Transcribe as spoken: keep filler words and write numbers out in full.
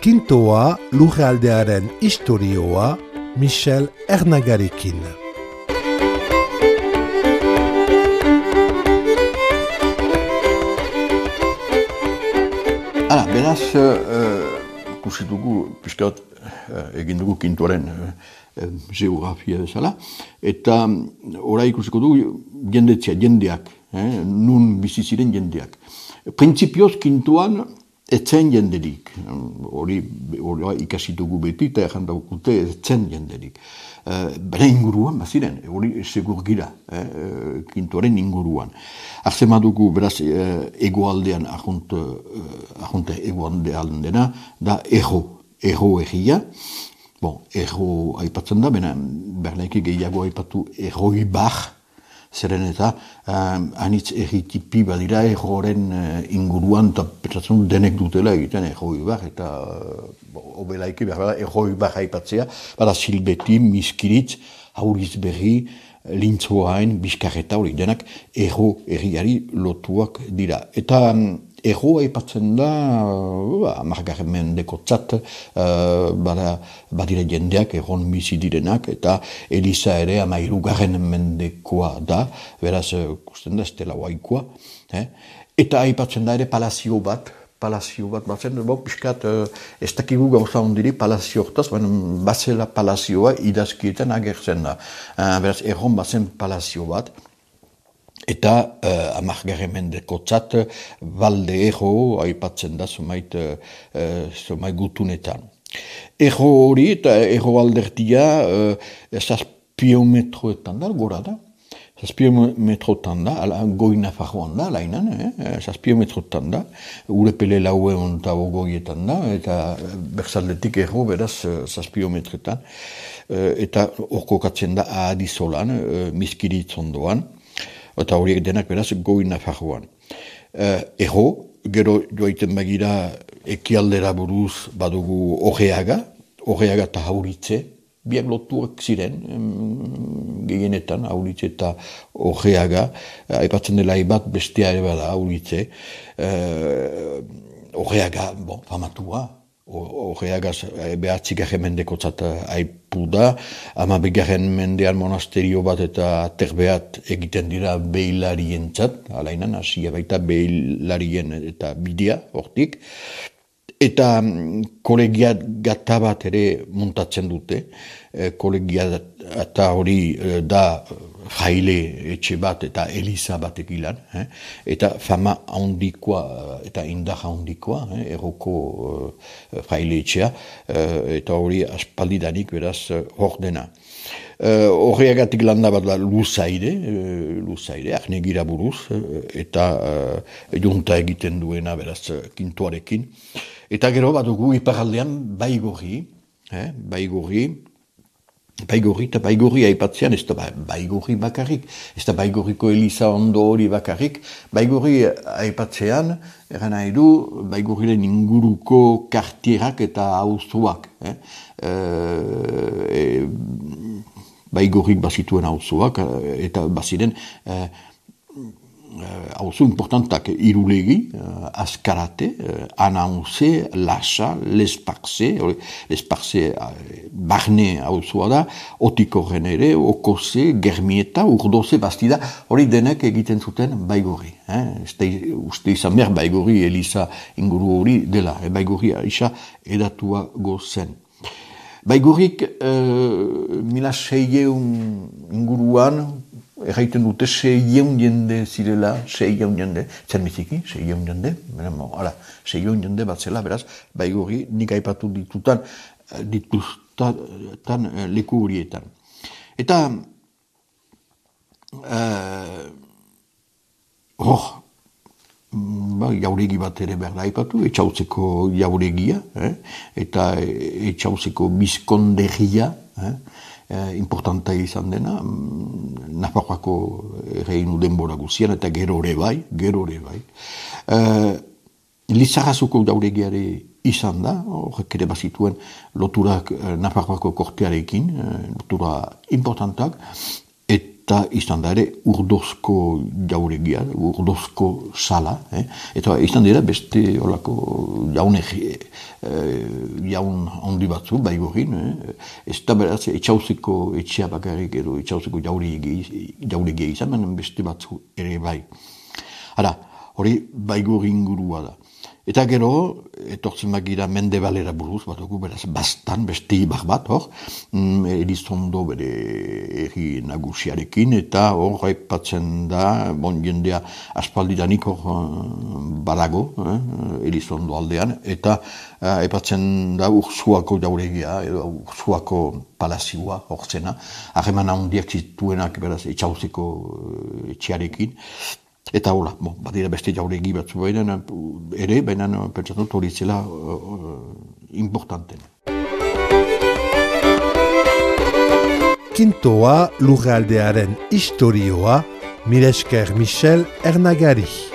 Kintoa lurraldearen istorioa Michel Ernagarekin. Hala, beraz, ikusi dugu, pixkat, egin dugu Kintoaren geografia bezala, eta ora ikusiko dugu jendetzea, jendeak, nun bizi ziren jendeak. Printzipioz Kintoan etzen jenderik, hori ikasi dugu beti, eta egin dugute etzen jenderik. Bera inguruan, baziren, hori segur gira, Kintoaren inguruan. Arzema dugu, beraz, egoaldean, ahonte egoaldean dena, da erro, erro egia. Bon, erro aipatzen da, bena, bernaiki gehiago aipatu erroi bar, zeren eta anitz erritipi badira erroren inguruan, eta petzatzen denek dutela egiten erroi bar, eta obelaiki behar da erroi bar aipatzea, bada Silbeti, Miskiritz, Hauriz Berri, Lintzoain, Bizkarreta, hori denak erro erriari lotuak dira. Eta erro aipatzen da, hamargarren mendeko tzat, badira jendeak erron bizi direnak, eta Eliza ere hamairugarren mendekoa da, beraz, kusten da, estela waikoa. Eta aipatzen da ere palazio bat, palazio bat batzen, bo, piskat, ez dakigu gauza ondiri palazio hortaz, bazela palazioa idazkietan agertzen da. Beraz, erron bazen palazio bat, eta uh, amargarren mendeko tzat, balde erro, aipatzen da, zumait, uh, zumait gutunetan. Erro hori eta erro aldertia, uh, zazpiometroetan da, gora da. Zazpiometroetan da, goi Nafarroan da, lainan, eh? Zazpiometroetan da, urepele laue ontago goietan da, eta berzaldetik erro, beraz, zazpiometretan. Uh, eta orko katzen da ahadizolan, uh, Miskiritz ondoan. Eta horiek denak beraz goi Nafarroan. Uh, Erro, gero joaiten bagira ekialdera buruz badugu Orreaga, Orreaga eta Hauritze, biak lotuak ziren, um, gehienetan, Hauritze eta Orreaga, aipatzen dela ibat bestea ere bada Hauritze. Uh, Orreaga, bon, famatua, Orreagaz behatzigarren mendeko tzat aipu da, ama begarren mendean monasterio bat eta terbeat egiten dira behilarien tzat, alainan, hasia baita behilarien eta bidea, hortik. Eta kolegia gata bat ere muntatzen dute, kolegia eta hori da jaile etxe bat eta Eliza bat egilan, eh? Eta fama handikoa eta indar handikoa, eh? Erroko uh, jaile etxea, uh, eta hori aspaldidanik beraz hor dena. Uh, Horreagatik landa bat da luzaire, uh, luzaire, ahnegira buruz, uh, eta uh, junta egiten duena beraz Kintoarekin. Eta gero badugu iparaldean baigorri, eh? baigorri, baigorri eta baigorri aipatzean, ez da baigorri bakarrik, ez da baigorriko Eliza ondo hori bakarrik, baigorri aipatzean, eran nahi du, baigorriren inguruko kartierak eta auzoak. Eh? E, baigorrik bazituen auzoak, eta baziren, eh, auzo importantak irulegi, uh, Azkarate, uh, Anauze, Lasa, Lesparze, Lesparze uh, barne auzoa da, Otikorren ere, Okoze, Germieta, Urdoze, Bastida, hori denek egiten zuten baigorri. Eh? Este, uste izan behar baigorri Eliza inguru hori dela, eh? Baigorri aixa edatua gozen. Baigorrik uh, mila seieun inguruan, erraiten dute seieun jende zirela, seieun jende, zer biziki, seieun jende, hala, seieun jende bat zela, beraz, baigorri nik aipatu ditutan, dituztan leku horietan. Eta, uh, hor, ba, jauregi bat ere behar da aipatu, etxautzeko jauregia, eh? Eta etxautzeko bizkondegia, eh? Eh, importanta izan dena, Nafarroako reinu denbora guzian, eta gero ere bai, gero ere bai. Eh, Lizarrazuko jauregiare izan da, horrek ere bazituen loturak Nafarroako kortearekin, lotura importantak, et eta izan da ere urdozko jauregia, urdozko sala, eh? Eta izan dira beste olako jaun, eh, jaun handi batzu, Baigorrin, eh? Ez da beraz etxauzeko etxea bakarrik edo etxauzeko jauregia izan, baina beste batzu ere bai. Hara, hori Baigorrin gurua da. Eta gero, etortzen bagira Mendebalera buruz, bat dugu, beraz, bastan, beste ibar bat, hor, mm, Elizondo bere erri nagusiarekin, eta hor, aipatzen da, bon, jendea aspaldidanik hor badago, eh, Elizondo aldean, eta eh, aipatzen da Ursuako jauregia, edo Ursuako palazioa, hor zena, harreman handiak zituenak, beraz, etxauzeko etxearekin. Eta hola, bon, badira beste jauregi batzu baina ere, baina pentsatut hori zela uh, importanten. Kintoa lurraldearen historioa, mila esker Michel Ernagari.